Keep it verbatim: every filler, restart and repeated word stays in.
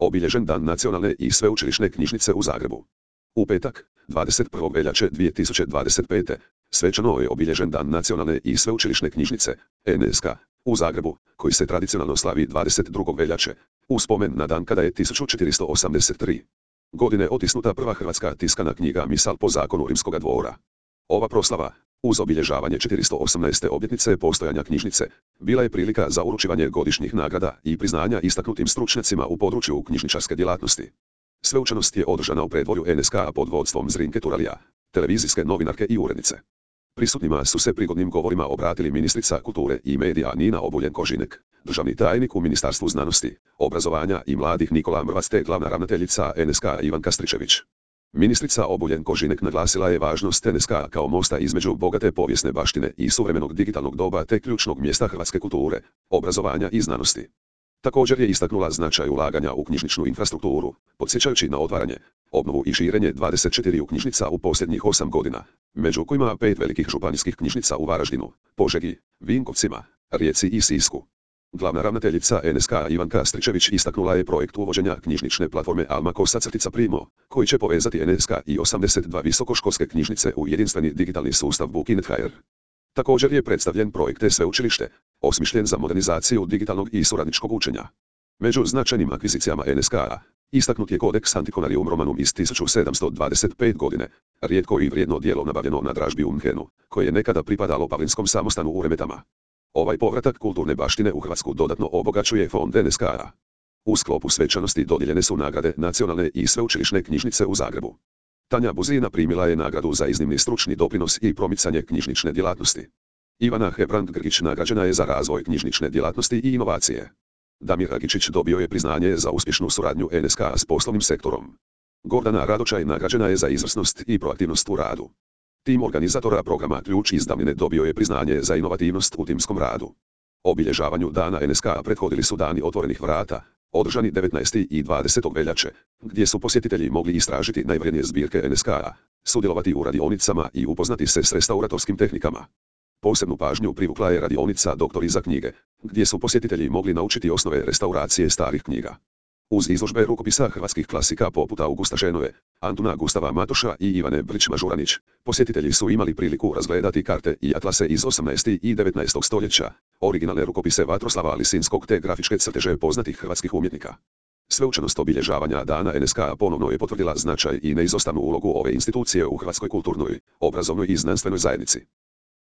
Obilježen dan Nacionalne i sveučilišne knjižnice u Zagrebu. U petak, dvadeset prvog veljače dvije tisuće dvadeset pete. svečano je obilježen dan Nacionalne i sveučilišne knjižnice, N S K, u Zagrebu, koji se tradicionalno slavi dvadeset drugog veljače, u spomen na dan kada je tisuću četiristo osamdeset tri. godine otisnuta prva hrvatska tiskana knjiga Misal po zakonu Rimskoga dvora. Ova proslava, uz obilježavanje četiristo osamnaeste obljetnice postojanja knjižnice, bila je prilika za uručivanje godišnjih nagrada i priznanja istaknutim stručnjacima u području knjižničarske djelatnosti. Sveučanost je održana u predvorju N S K pod vodstvom Zrinke Turalija, televizijske novinarke i urednice. Prisutnima su se prigodnim govorima obratili ministrica kulture i medija Nina Obuljen Koržinek, državni tajnik u Ministarstvu znanosti, obrazovanja i mladih Nikola Mrvac te glavna ravnateljica N S K Ivanka Stričević. Ministrica Obuljen Koržinek naglasila je važnost N S K kao mosta između bogate povijesne baštine i suvremenog digitalnog doba te ključnog mjesta hrvatske kulture, obrazovanja i znanosti. Također je istaknula značaj ulaganja u knjižničnu infrastrukturu, podsjećajući na otvaranje, obnovu i širenje dvadeset četiri knjižnica u posljednjih osam godina, među kojima pet velikih županijskih knjižnica u Varaždinu, Požegi, Vinkovcima, Rijeci i Sisku. Glavna ravnateljica N S K Ivanka Stričević istaknula je projekt uvođenja knjižnične platforme Alma Kosa-Primo, koji će povezati N S K i osamdeset dva visokoškolske knjižnice u jedinstveni digitalni sustav Bookinet punkt h r. Također je predstavljen projekt e-sveučilište, osmišljen za modernizaciju digitalnog i suradničkog učenja. Među značajnim akvizicijama N S K-a istaknut je Codex Antiquarium Romanum iz tisuću sedamsto dvadeset pete. godine, rijetko i vrijedno djelo nabavljeno na dražbi u Münchenu, koje je nekada pripadalo Pavlinskom samostanu u Remetama. Ovaj povratak kulturne baštine u Hrvatsku dodatno obogaćuje fond N S K-a. U sklopu svečanosti dodijeljene su nagrade Nacionalne i sveučilišne knjižnice u Zagrebu. Tanja Buzina primila je nagradu za iznimni stručni doprinos i promicanje knjižnične djelatnosti. Ivana Hebrang-Grgić nagrađena je za razvoj knjižnične djelatnosti i inovacije. Damir Agičić dobio je priznanje za uspješnu suradnju N S K s poslovnim sektorom. Gordana Radočaj nagrađena je za izvrsnost i proaktivnost u radu. Tim organizatora programa Ključ iz davnine dobio je priznanje za inovativnost u timskom radu. Obilježavanju dana N S K prethodili su dani otvorenih vrata, održani devetnaestog i dvadesetog veljače, gdje su posjetitelji mogli istražiti najvrjednije zbirke N S K-a, sudjelovati u radionicama i upoznati se s restauratorskim tehnikama. Posebnu pažnju privukla je radionica Doktori za knjige, gdje su posjetitelji mogli naučiti osnove restauracije starih knjiga. Uz izložbe rukopisa hrvatskih klasika poput Augusta Šenove, Antuna Gustava Matoša i Ivane Brić-Mažuranić, posjetitelji su imali priliku razgledati karte i atlase iz osamnaestog i devetnaestog stoljeća, originalne rukopise Vatroslava Lisinskog te grafičke crteže poznatih hrvatskih umjetnika. Sveučanost obilježavanja dana N S K ponovno je potvrdila značaj i neizostavnu ulogu ove institucije u hrvatskoj kulturnoj, obrazovnoj i znanstvenoj zajednici.